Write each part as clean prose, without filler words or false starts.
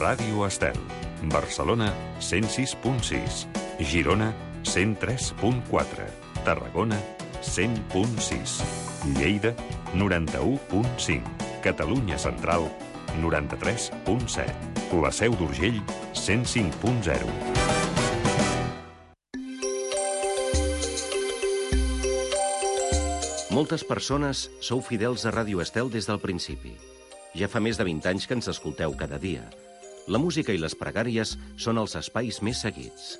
Ràdio Estel. Barcelona, 106.6. Girona, 103.4. Tarragona, 100.6. Lleida, 91.5. Catalunya Central, 93.7. La Seu d'Urgell, 105.0. Moltes persones sou fidels a Ràdio Estel des del principi. Ja fa més de 20 anys que ens escolteu cada dia. La música i les pregàries són els espais més seguits.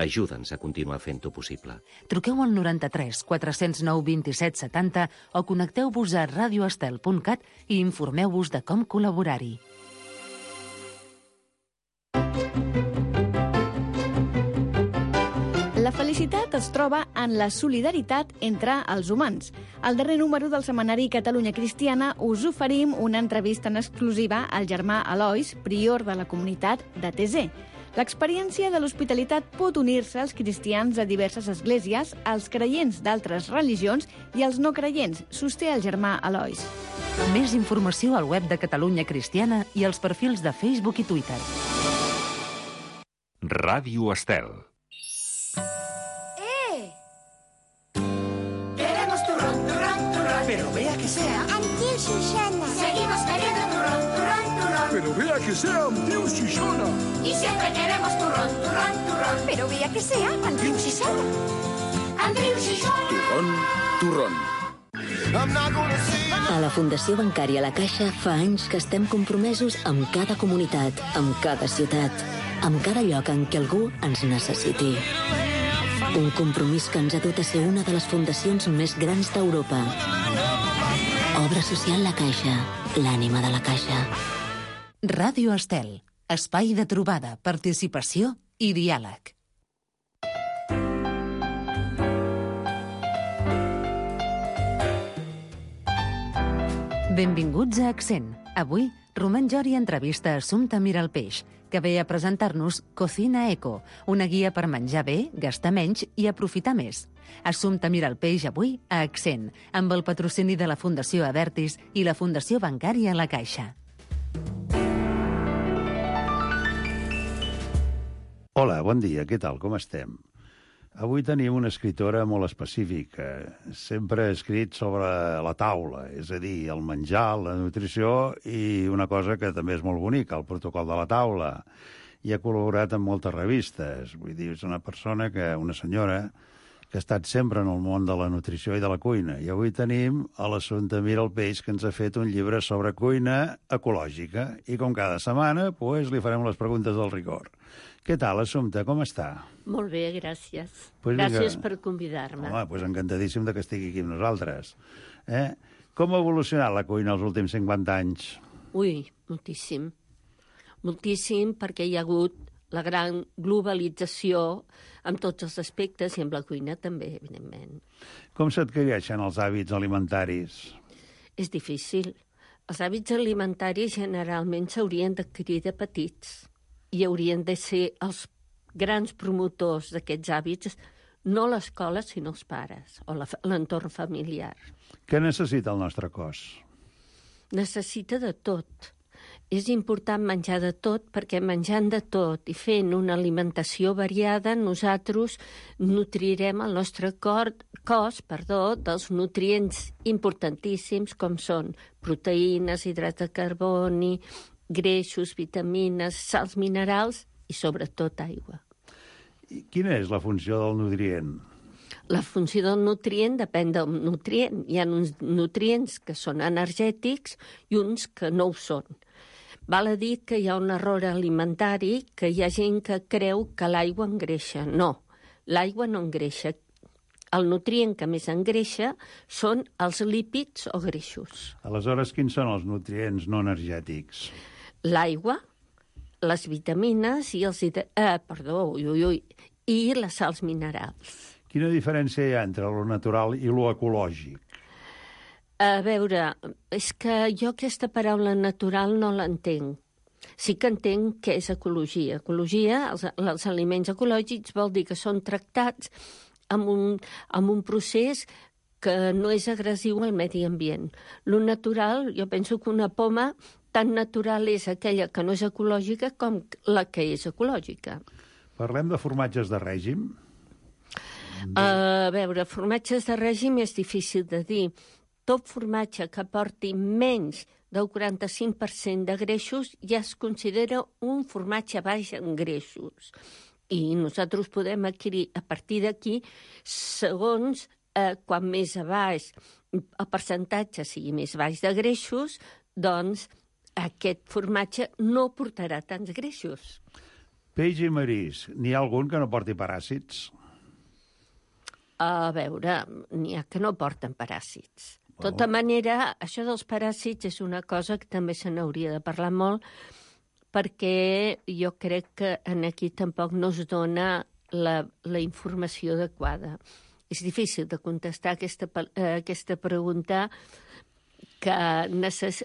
Ajuda'ns a continuar fent-ho possible. Truqueu al 93 409 27 70 o connecteu-vos a radioestel.cat i informeu-vos de com col·laborar-hi. La felicitat es troba en la solidaritat entre els humans. Al darrer número del setmanari Catalunya Cristiana us oferim una entrevista en exclusiva al germà Elois, prior de la comunitat de Thésée. L'experiència de l'hospitalitat pot unir-se als cristians de diverses esglésies, als creients d'altres religions i als no creients, sosté el germà Elois. Més informació al web de Catalunya Cristiana i als perfils de Facebook i Twitter. Ràdio Estel. Pero vea que sea. Antiu Xuxona. Seguimos queriendo turrón, turrón, turrón. Pero vea que sea Antiu Xuxona. Y siempre queremos turrón, turrón, turrón. Pero vea que sea Antiu Xuxona. Antiu Xuxona. Turrón. A la Fundació Bancària La Caixa fa anys que estem compromesos amb cada comunitat, amb cada ciutat, amb cada lloc en què algú ens necessiti. Un compromís que ens ha dut a ser una de les fundacions més grans d'Europa. Obra social La Caixa, l'ànima de la Caixa. Ràdio Estel, espai de trobada, participació i diàleg. Benvinguts a Accent. Avui, Roman Jori entrevista Assumpta Miralpeix, que ve a presentar-nos Cocina Eco, una guia per menjar bé, gastar menys i aprofitar més. Assumpta Miralpeix avui a Accent, amb el patrocini de la Fundació Avertis i la Fundació Bancària La Caixa. Hola, bon dia, què tal, com estem? Avui tenim una escritora molt específica. Sempre ha escrit sobre la taula, és a dir, el menjar, la nutrició i una cosa que també és molt bonica, el protocol de la taula. I ha col·laborat en moltes revistes. Vull dir, és una persona una senyora, que ha estat sempre en el món de la nutrició i de la cuina. I avui tenim a l'Assumpta Miralpeix, que ens ha fet un llibre sobre cuina ecològica. I com cada setmana, li farem les preguntes del rigor. Què tal, Assumpta, com està? Molt bé, gràcies. Gràcies per convidar-me. Home, encantadíssim que estigui aquí amb nosaltres. Com ha evolucionat la cuina els últims 50 anys? Ui, moltíssim. Moltíssim, perquè hi ha hagut la gran globalització amb tots els aspectes i amb la cuina també, evidentment. Com s'adquireixen els hàbits alimentaris? És difícil. Els hàbits alimentaris generalment s'haurien d'adquirir de petits i haurien de ser els grans promotors d'aquests hàbits, no l'escola, sinó els pares o l'entorn familiar. Què necessita el nostre cos? Necessita de tot. És important menjar de tot perquè menjant de tot i fent una alimentació variada nosaltres nutrirem el nostre cos dels nutrients importantíssims com són proteïnes, hidrats de carboni, greixos, vitamines, sals minerals i sobretot aigua. I quina és la funció del nutrient? La funció del nutrient depèn del nutrient. Hi ha uns nutrients que són energètics i uns que no ho són. Val a dir que hi ha un error alimentari, que hi ha gent que creu que l'aigua engreixa. No, l'aigua no engreixa. El nutrient que més engreixa són els lípids o greixos. Aleshores, quins són els nutrients no energètics? L'aigua, les vitamines i i les sals minerals. Quina diferència hi ha entre lo natural i lo ecològic? A veure, és que jo aquesta paraula natural no l'entenc. Sí que entenc què és ecologia. Ecologia, els aliments ecològics, vol dir que són tractats amb un procés que no és agressiu al medi ambient. Lo natural, jo penso que una poma tan natural és aquella que no és ecològica com la que és ecològica. Parlem de formatges de règim. A veure, formatges de règim és difícil de dir. Tot formatge que porti menys del 45% de greixos ja es considera un formatge baix en greixos. I nosaltres podem adquirir a partir d'aquí, segons quan més a baix el percentatge sigui més baix de greixos, doncs aquest formatge no portarà tants greixos. Peix i marisc, n'hi ha algun que no porti paràsits? A veure, n'hi ha que no porten paràsits. De tota manera, això dels paràsits és una cosa que també se n'hauria de parlar molt, perquè jo crec que aquí tampoc no es dona la informació adequada. És difícil de contestar aquesta pregunta que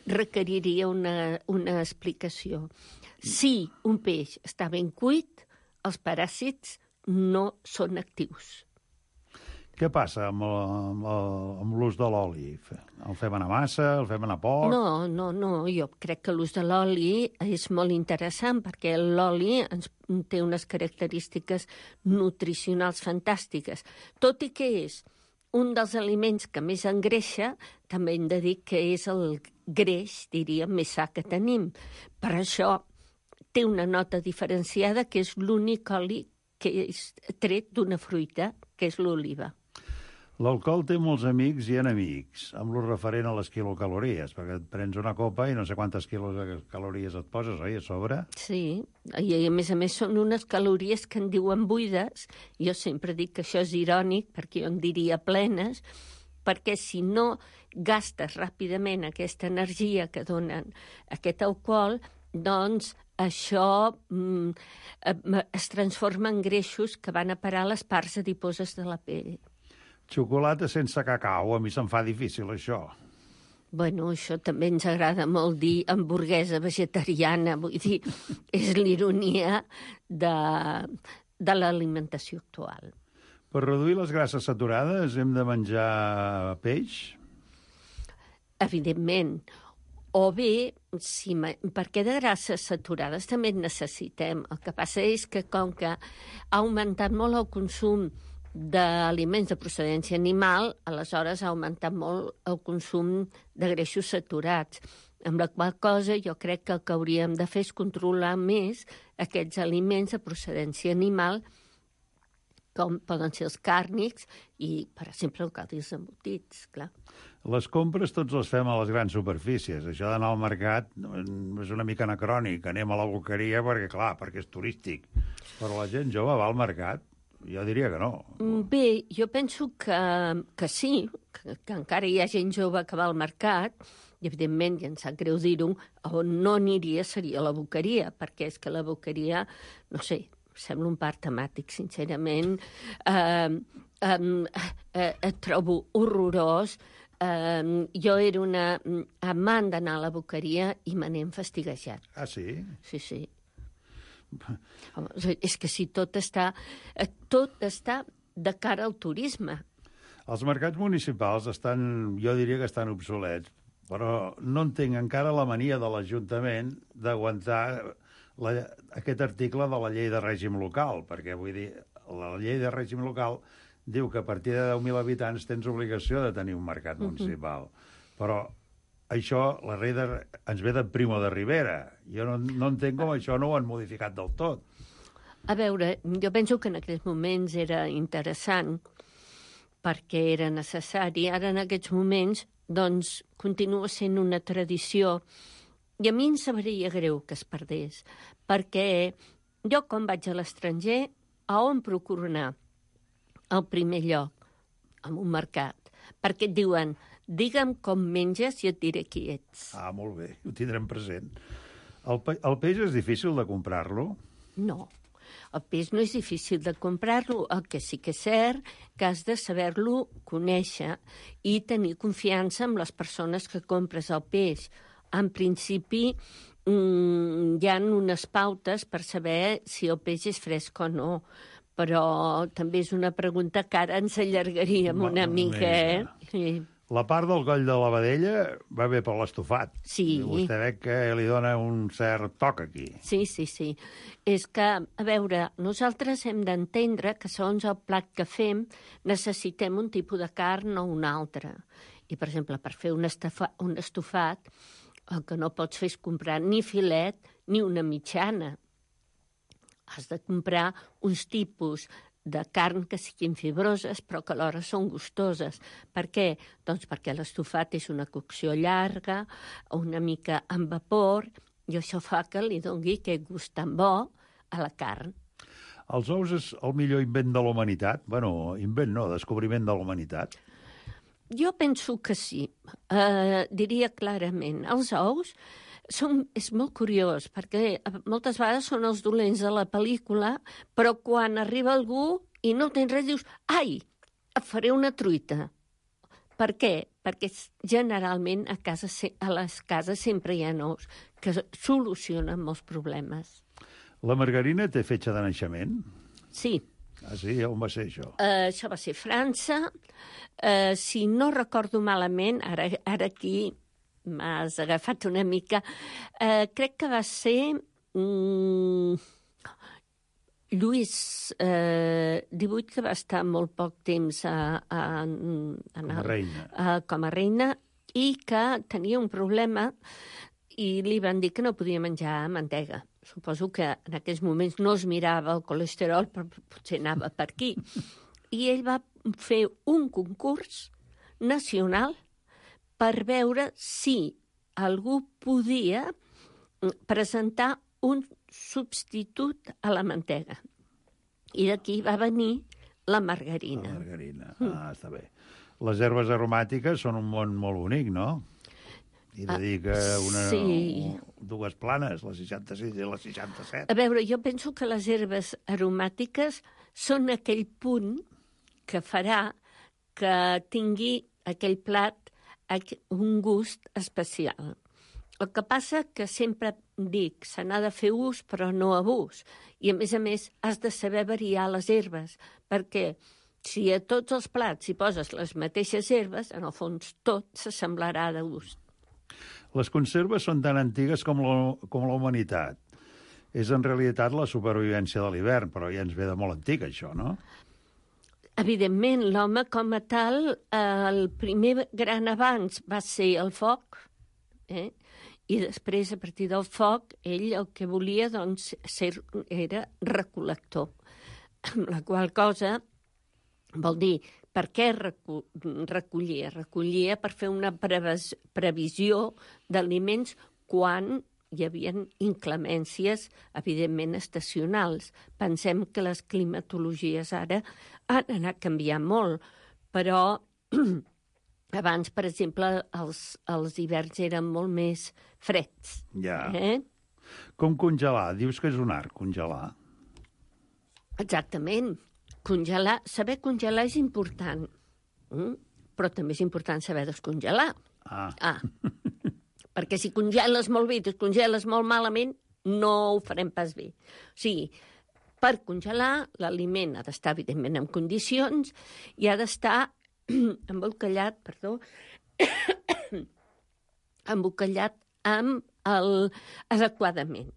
requeriria una explicació. Si un peix està ben cuit, els paràsits no són actius. Què passa amb l'ús de l'oli? El fem anar massa, el fem anar poc? No, jo crec que l'ús de l'oli és molt interessant perquè l'oli té unes característiques nutricionals fantàstiques. Tot i que és un dels aliments que més engreixa, també hem de dir que és el greix, diríem, més sa que tenim. Per això té una nota diferenciada que és l'únic oli que és tret d'una fruita, que és l'oliva. L'alcohol té molts amics i enemics, amb lo referent a les quilocalories, perquè et prens una copa i no sé quantes quilocalories et poses, oi, a sobre? Sí, i a més són unes calories que en diuen buides. Jo sempre dic que això és irònic, perquè jo en diria plenes, perquè si no gastes ràpidament aquesta energia que donen aquest alcohol, doncs això es transforma en greixos que van a parar a les parts adiposes de la pell. Xocolata sense cacau, a mi se'm fa difícil, això. Bueno, això també ens agrada molt dir hamburguesa vegetariana, vull dir, és l'ironia de l'alimentació actual. Per reduir les grasses saturades hem de menjar peix? Evidentment. O bé, perquè de grasses saturades també en necessitem. El que passa és que com que ha augmentat molt el consum d'aliments de procedència animal, aleshores ha augmentat molt el consum de greixos saturats. Amb la qual cosa jo crec que el que hauríem de fer és controlar més aquests aliments de procedència animal, com poden ser els càrnics i, per exemple, el cal dir els embotits, clar. Les compres tots les fem a les grans superfícies. Això d'anar al mercat és una mica anacrònic. Anem a la boqueria perquè és turístic. Però la gent jove va al mercat. Jo diria que no. Bé, jo penso que sí, que encara hi ha gent jove que va al mercat, i evidentment, i em sap greu dir-ho, on no aniria seria la boqueria, perquè és que la boqueria, no sé, sembla un parc temàtic, sincerament, et trobo horrorós. Jo era una amant d'anar a la boqueria i me n'he enfastiguejat. Ah, sí? Sí. És que si tot està de cara al turisme. Els mercats municipals jo diria que estan obsolets, però no entenc encara la mania de l'Ajuntament d'aguantar aquest article de la llei de règim local, perquè vull dir, la llei de règim local diu que a partir de 10.000 habitants tens obligació de tenir un mercat municipal. Però això, la rei ens ve de Primo de Rivera. Jo no entenc com això no ho han modificat del tot. A veure, jo penso que en aquells moments era interessant perquè era necessari. Ara, en aquests moments, doncs, continua sent una tradició. I a mi em sabria greu que es perdés, perquè jo, quan vaig a l'estranger, a on procuro anar? Al primer lloc, a un mercat. Perquè et diuen, digue'm com menges i et diré qui ets. Ah, molt bé, ho tindrem present. El peix és difícil de comprar-lo? No, el peix no és difícil de comprar-lo. El que sí que és cert que has de saber-lo conèixer i tenir confiança en les persones que compres el peix. En principi, hi ha unes pautes per saber si el peix és fresc o no, però també és una pregunta que ara ens allargaríem una mica, eh? Sí. La part del coll de la vedella va bé per l'estofat. Sí. Vostè veu que li dona un cert toc aquí. Sí. És que, a veure, nosaltres hem d'entendre que segons el plat que fem necessitem un tipus de carn o un altre. I, per exemple, per fer un estofat, el que no pots fer és comprar ni filet ni una mitjana. Has de comprar uns tipus de carn que siguin fibroses, però que alhora són gustoses. Per què? Doncs perquè l'estofat és una cocció llarga, una mica amb vapor, i això fa que li doni aquest gust tan bo a la carn. Els ous és el millor invent de la humanitat? Bueno, invent no, descobriment de la humanitat. Jo penso que sí. Diria clarament. Els ous és molt curiós, perquè moltes vegades són els dolents de la pel·lícula, però quan arriba algú i no tens res, dius, ai, et faré una truita. Per què? Perquè generalment a les cases sempre hi ha ous que solucionen molts problemes. La margarina té fetge de naixement? Sí. Ah, sí? On va ser això? Això va ser França. Si no recordo malament, ara aquí m'has agafat una mica, crec que va ser Lluís XVIII, que va estar molt poc temps com a reina, i que tenia un problema i li van dir que no podia menjar mantega. Suposo que en aquells moments no es mirava el colesterol, però potser anava per aquí. I ell va fer un concurs nacional per veure si algú podia presentar un substitut a la mantega. I d'aquí va venir la margarina. La margarina, està bé. Les herbes aromàtiques són un món molt bonic, no? I dedica dues planes, la 66 i la 67. A veure, jo penso que les herbes aromàtiques són aquell punt que farà que tingui aquell plat un gust especial. El que passa que sempre dic, se n'ha de fer ús, però no abús. I, a més, has de saber variar les herbes, perquè si a tots els plats hi poses les mateixes herbes, en el fons tot s'assemblarà de gust. Les conserves són tan antigues com la humanitat. És en realitat la supervivència de l'hivern, però ja ens ve de molt antic, això, no? Evidentment, l'home com a tal, el primer gran avanç va ser el foc, i després, a partir del foc, ell el que volia doncs, era recol·lector. La qual cosa vol dir, per què recollia? Recollia per fer una previsió d'aliments quan hi havia inclemències, evidentment, estacionals. Pensem que les climatologies ara han anat canviant molt, però abans, per exemple, els hiverns eren molt més freds. Ja. Com congelar? Dius que és un art, congelar. Exactament. Congelar, saber congelar és important, però també és important saber descongelar. Perquè si congeles molt bé i descongeles molt malament, no ho farem pas bé. O sigui, per congelar, l'aliment ha d'estar, evidentment, en condicions i ha d'estar embolcallat, adequadament.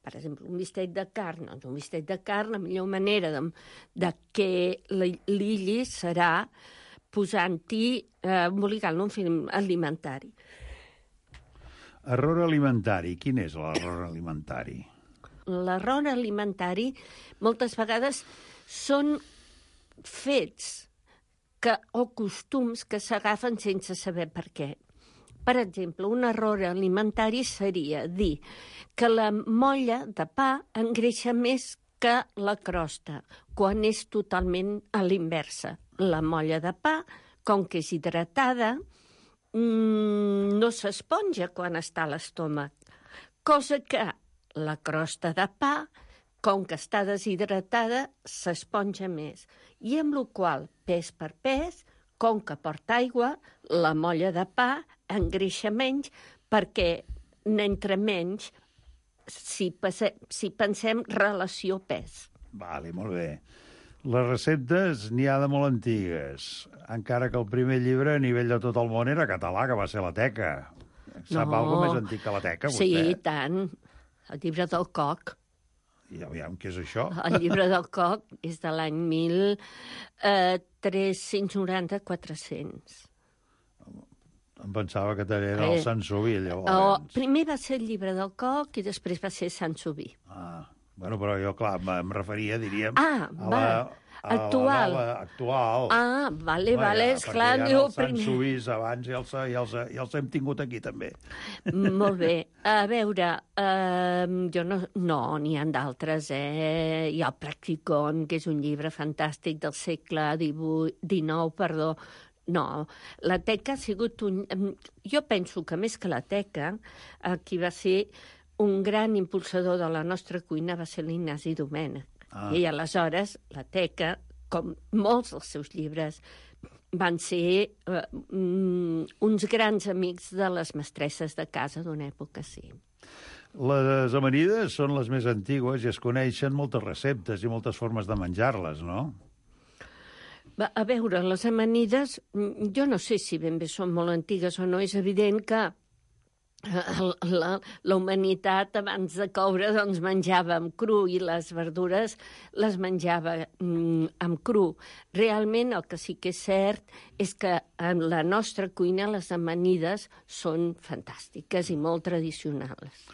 Per exemple, un bistec de carn, doncs un bistec de carn, la millor manera de que l'illi serà posant-hi, embolicant-lo en film alimentari. Error alimentari. Quin és l'error alimentari? L'error alimentari moltes vegades són fets o costums que s'agafen sense saber per què. Per exemple, un error alimentari seria dir que la molla de pa engreixa més que la crosta, quan és totalment a l'inversa. La molla de pa, com que és hidratada, no s'esponja quan està a l'estómac, cosa que la crosta de pa, com que està deshidratada, s'esponja més. I amb la qual, pes per pes, com que porta aigua, la molla de pa engreixa menys perquè n'entra menys si pensem relació pes. Vale, molt bé. Les receptes n'hi ha de molt antigues, encara que el primer llibre a nivell de tot el món era català, que va ser la Teca. Sap alguna més antic que la Teca, vostè? Sí, tant. El llibre del Coc. I aviam, què és això? El llibre del Coc és de l'any 1390-400. Em pensava que era el Sansoví, llavors. Primer va ser el llibre del Coc i després va ser Sansoví. Bueno, però jo, clar, em referia, diríem, actual. Actual. Vale, esclar. Perquè hi ha els Sansovís abans i els hem tingut aquí, també. Molt bé. A veure, jo no, n'hi ha d'altres, Hi ha el Practicon, que és un llibre fantàstic del segle XIX. No, la Teca ha sigut Jo penso que més que la Teca, qui va ser un gran impulsador de la nostra cuina va ser l'Ignasi Domènech. I aleshores la Teca, com molts dels seus llibres, van ser uns grans amics de les mestresses de casa d'una època, sí. Les amanides són les més antigues i es coneixen moltes receptes i moltes formes de menjar-les, no? A veure, les amanides, jo no sé si ben bé són molt antigues o no. És evident que la humanitat abans de coure doncs menjava amb cru i les verdures les menjava amb cru. Realment el que sí que és cert és que en la nostra cuina les amanides són fantàstiques i molt tradicionals.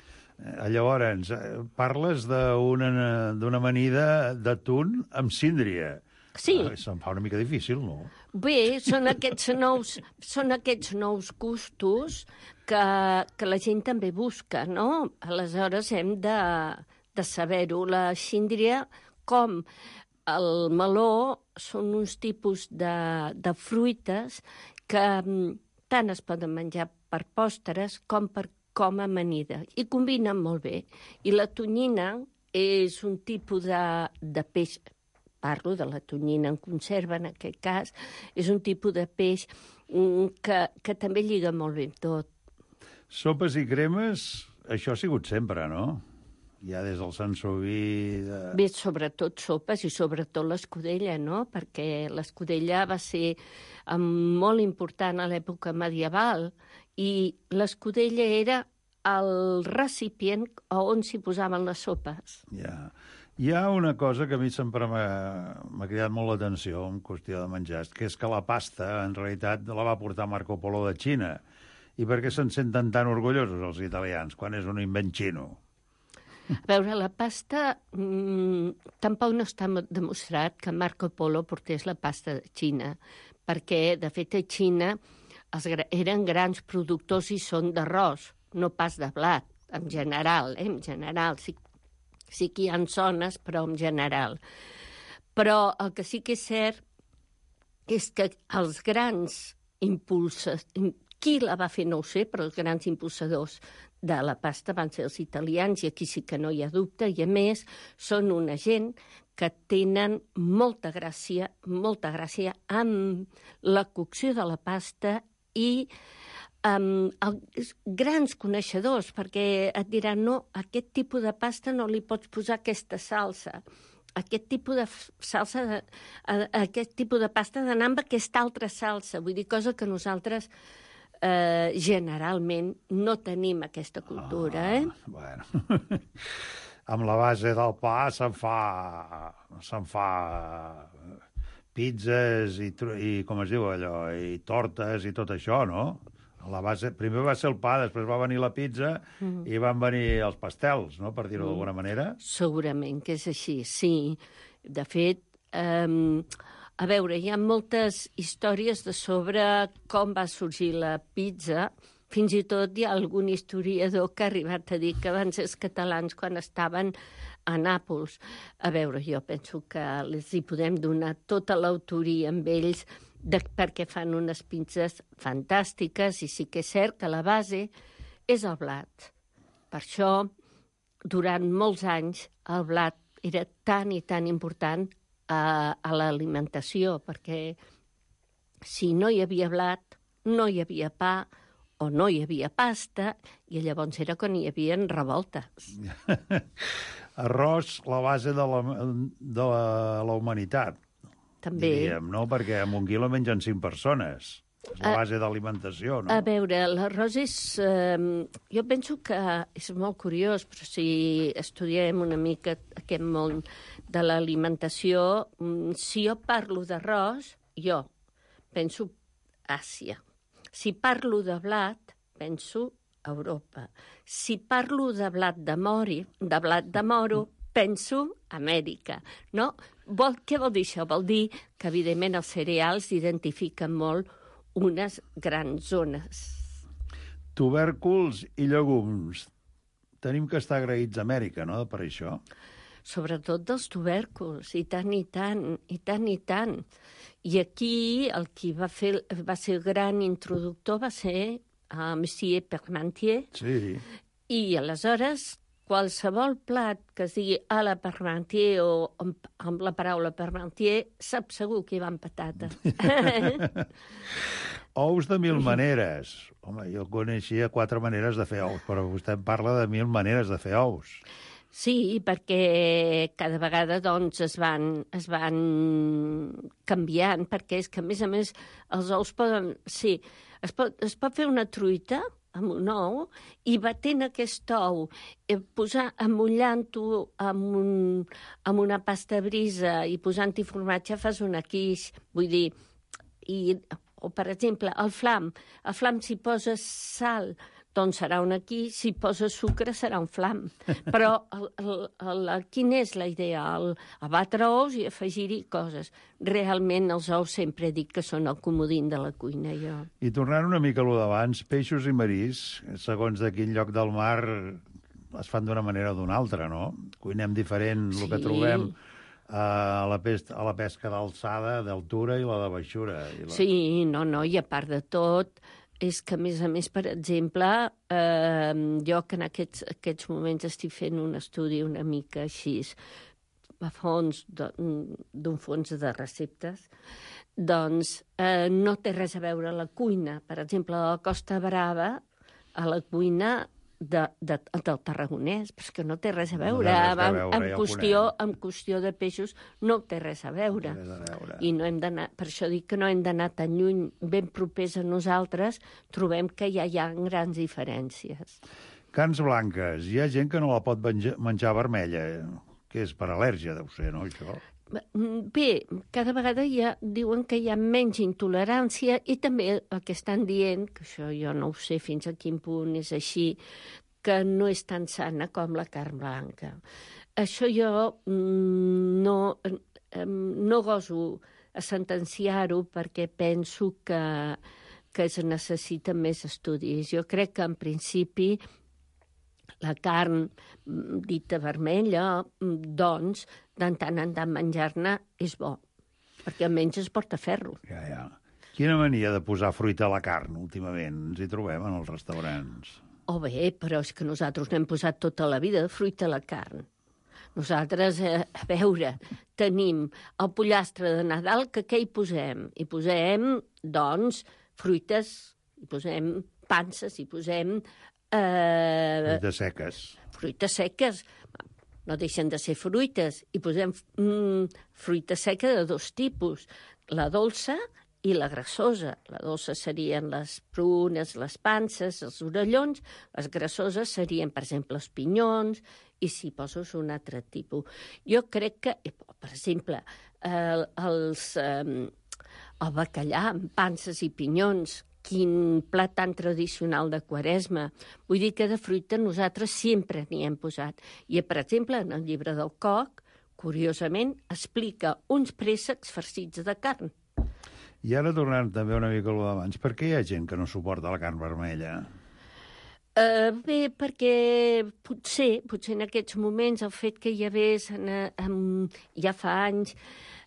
Llavors, parles d'una amanida d'atún amb síndria. Sí. Se'm fa una mica difícil, no? Bé, són aquests nous gustos que la gent també busca, no? Aleshores hem de saber-ho. La síndria, com el meló, són uns tipus de fruites que tant es poden menjar per pòsteres com a amanida. I combinen molt bé. I la tonyina és un tipus de peix. Parlo de la tonyina en conserva, en aquest cas, és un tipus de peix que també lliga molt bé tot. Sopes i cremes, això ha sigut sempre, no? Ja des del Sansoví... Bé, sobretot sopes i sobretot l'escudella, no? Perquè l'escudella va ser molt important a l'època medieval i l'escudella era el recipient on s'hi posaven les sopes. Ja. Hi ha una cosa que a mi sempre m'ha cridat molt l'atenció en qüestió de menjar, que és que la pasta, en realitat, la va portar Marco Polo de Xina. I per què se'n senten tan orgullosos els italians, quan és un invent xino? A veure, la pasta... tampoc no està demostrat que Marco Polo portés la pasta de Xina, perquè, de fet, a Xina eren grans productors i són d'arròs, no pas de blat, en general, en general, sí que hi ha zones, però en general. Però el que sí que és cert és que els grans impulsors, qui la va fer no ho sé, però els grans impulsadors de la pasta van ser els italians, i aquí sí que no hi ha dubte, i a més són una gent que tenen molta gràcia amb la cocció de la pasta i grans coneixedors, perquè et diran, no, a aquest tipus de pasta no li pots posar aquesta salsa, aquest tipus de salsa, aquest tipus de pasta d'anar amb aquesta altra salsa, vull dir, cosa que nosaltres generalment no tenim aquesta cultura, Bueno, amb la base del pa se'n fa pizzas i com es diu allò, i tortes i tot això, no? La base, primer va ser el pa, després va venir la pizza i van venir els pastels, no?, per dir-ho d'alguna manera. Segurament que és així, sí. De fet, a veure, hi ha moltes històries de sobre com va sorgir la pizza. Fins i tot hi ha algun historiador que ha arribat a dir que van ser els catalans quan estaven a Nàpols. A veure, jo penso que els hi podem donar tota l'autoria amb ells perquè fan unes pizzas fantàstiques i sí que és cert que la base és el blat. Per això, durant molts anys, el blat era tan i tan important a l'alimentació, perquè si no hi havia blat, no hi havia pa o no hi havia pasta, i llavors era quan hi havia revoltes. Arròs, la base de la humanitat, També. diríem, no? Perquè amb 1 quilo mengen 5 persones. És la base d'alimentació, no? A veure, l'arròs és... jo penso que és molt curiós, però si estudiem una mica aquest món de l'alimentació, si jo parlo d'arròs, jo penso Àsia. Si parlo de blat, penso Europa. Si parlo de blat de moro, penso Amèrica. No? Què vol dir això? Vol dir que, evidentment, els cereals identifiquen molt unes grans zones. Tubèrculs i llegums. Tenim que estar agraïts a Amèrica, no?, per això. Sobretot dels tubèrculs, i tant, i tant, i tant, i tant. I aquí el qui va ser el gran introductor va ser Monsieur Parmentier. Sí. I aleshores qualsevol plat que es digui a la Parmentier o amb la paraula Parmentier, sap segur que hi van patates. Ous de 1000 maneres. Home, jo coneixia 4 maneres de fer ous, però vostè em parla de 1000 maneres de fer ous. Sí, perquè cada vegada doncs, es van canviant, perquè és que, a més, els ous poden... Sí, es pot fer una truita amb un ou i batent aquest ou, amullant-ho amb una pasta brisa i posant-hi formatge fas una quiche. Vull dir, o per exemple, el flam si poses sal, doncs serà un quiche, si poses sucre serà un flam. Però quina és la idea? Abatre ous i afegir-hi coses. Realment els ous sempre dic que són el comodín de la cuina, jo. I tornant una mica a lo d'abans, peixos i marís, segons de quin lloc del mar es fan d'una manera o d'una altra, no? Cuinem diferent el que trobem a la pesca d'alçada, d'altura i la de baixura. Sí, no, i a part de tot, és que, a més, per exemple, jo que en aquests moments estic fent un estudi una mica així, a fons, d'un fons de receptes, doncs no té res a veure la cuina. Per exemple, a la Costa Brava, a la cuina del tarragonès, però és que no té res a veure. En qüestió de peixos no té res a veure. I no hem d'anar, per això dic que no hem d'anar tan lluny, ben propers a nosaltres, trobem que ja hi ha grans diferències. Carns blanques. Hi ha gent que no la pot menjar vermella, que és per al·lèrgia, deu ser, no, això? Bé, cada vegada diuen que hi ha menys intolerància i també el que estan dient, que això jo no ho sé fins a quin punt és així, que no és tan sana com la carn blanca. Això jo no goso a sentenciar-ho perquè penso que es necessiten més estudis. Jo crec que en principi la carn dita vermella, doncs, de tant en tant menjar-ne és bo, perquè almenys es porta ferro. Ja. Quina mania de posar fruita a la carn, últimament? Ens hi trobem en els restaurants. Bé, però és que nosaltres n'hem posat tota la vida de fruita a la carn. Nosaltres, a veure, tenim el pollastre de Nadal, que què hi posem? Hi posem, doncs, fruites, hi posem panses, hi posem... Fruites seques. Fruites seques. No deixen de ser fruites. Hi posem fruita seca de 2 tipus, la dolça i la grassosa. La dolça serien les prunes, les panses, els orellons. Les grassoses serien, per exemple, els pinyons, i si poses un altre tipus. Jo crec que, per exemple, el bacallà amb panses i pinyons, quin plat tan tradicional de Quaresma. Vull dir que de fruita nosaltres sempre n'hi hem posat. I, per exemple, en el llibre del Coc, curiosament, explica uns préssecs farcits de carn. I ara, tornant també una mica a lo d'abans, per què hi ha gent que no suporta la carn vermella? Bé, perquè potser en aquests moments el fet que hi hagués ja fa anys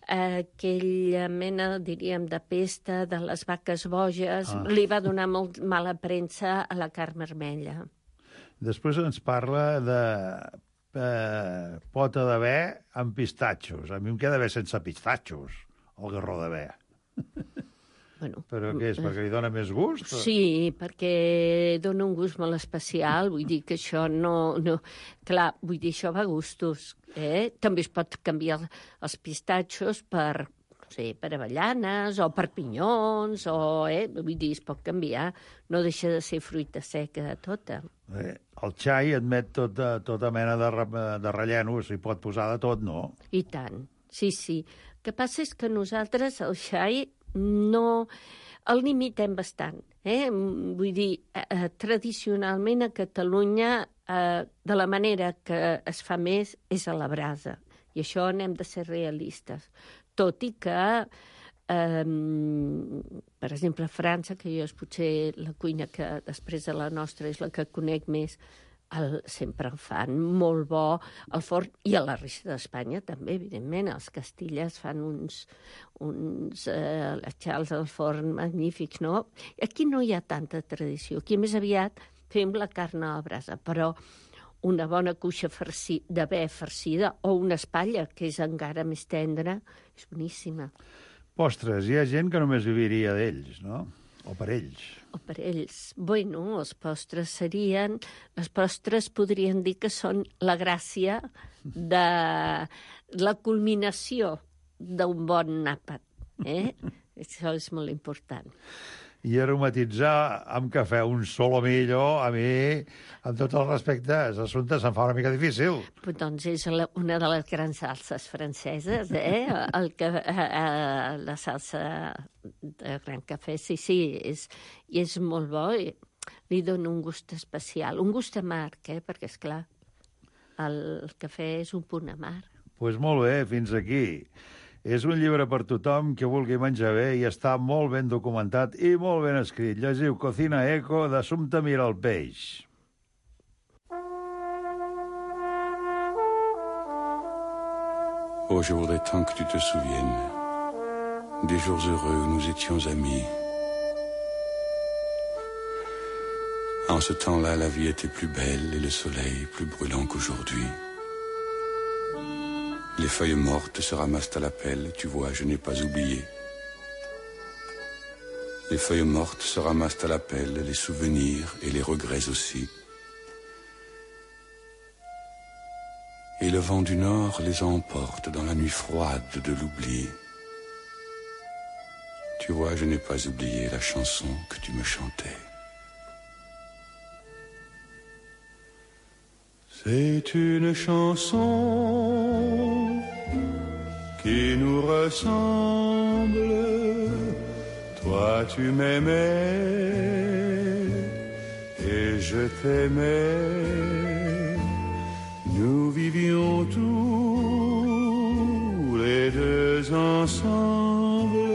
aquella mena, diríem, de pesta de les vaques boges li va donar molt mala premsa a la carn vermella. Després ens parla de pota de bé amb pistatxos. A mi em queda bé sense pistatxos, el garró de bé. Bueno, Però què és, perquè li dona més gust? sí, perquè dona un gust molt especial, vull dir que això no... Clar, vull dir, això va a gustos, També es pot canviar els pistatxos per, no sé, per avellanes o per pinyons, vull dir, es pot canviar, no deixa de ser fruita seca tota. El xai admet tota mena de relleno, s'hi pot posar de tot, no? I tant, sí. El que passa és que nosaltres el xai no el limitem bastant. Vull dir, tradicionalment a Catalunya, de la manera que es fa més és a la brasa. I això n'hem de ser realistes. Tot i que, per exemple, a França, que jo és potser la cuina que després de la nostra és la que conec més, sempre el fan molt bo al forn, i a la resta d'Espanya també, evidentment. Els Castillas fan uns xals al forn magnífics, no? Aquí no hi ha tanta tradició. Aquí més aviat fem la carn a la brasa, però una bona cuixa de bé farcida o una espatlla, que és encara més tendra, és boníssima. Postres, hi ha gent que només viviria d'ells, no? O per ells. O per ells. Bueno, els postres serien... Les postres podrien dir que són la gràcia de la culminació d'un bon àpat. Això és molt important. I aromatitzar amb cafè un solomillo, a mi, amb tots els respectes, l'assumpte se'm fa una mica difícil. Doncs és una de les grans salses franceses, la salsa de gran cafè, sí, i és molt bo, i li dona un gust especial, un gust amarg, perquè, esclar, el cafè és un punt amarg. Doncs molt bé, fins aquí. És un llibre per tothom que vulgui menjar bé i està molt ben documentat i molt ben escrit. Llegiu Cocina Eco d'Assumpta Mira el Peix. Oh, je voudrais tant que tu te souviennes des jours heureux où nous étions amis. En ce temps-là, la vie était plus belle et le soleil plus brûlant qu'aujourd'hui. Les feuilles mortes se ramassent à la pelle, tu vois, je n'ai pas oublié. Les feuilles mortes se ramassent à la pelle, les souvenirs et les regrets aussi. Et le vent du nord les emporte dans la nuit froide de l'oubli. Tu vois, je n'ai pas oublié la chanson que tu me chantais. C'est une chanson qui nous ressemble. Toi tu m'aimais et je t'aimais. Nous vivions tous les deux ensemble.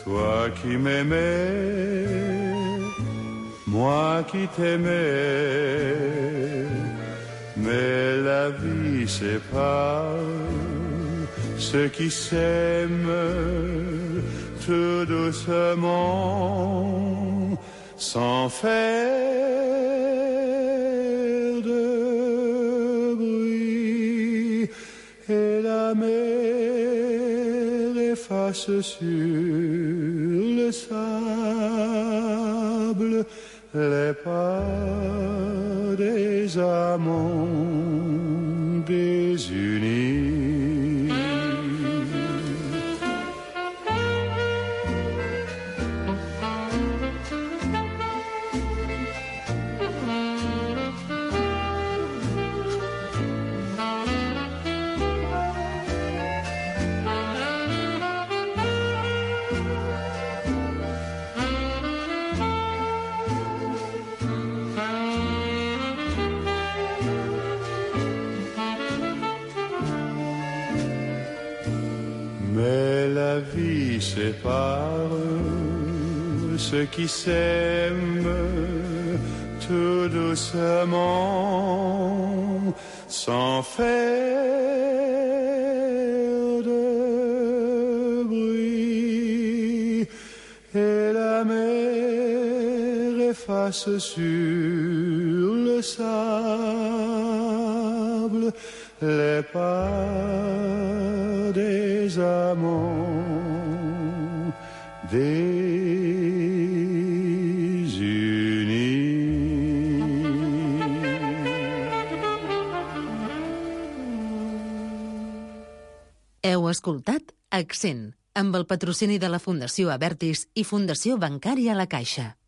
Toi qui m'aimais, moi qui t'aimais. Mais la vie sépare ceux qui s'aiment tout doucement, sans faire de bruit. Et la mer efface sur le sable les pas des amants désunis. Sépare ceux qui s'aiment tout doucement, sans faire de bruit. Et la mer efface sur le sable les pas des amants Heu escoltat Accent, amb el patrocini de la Fundació Abertis i Fundació Bancària La Caixa.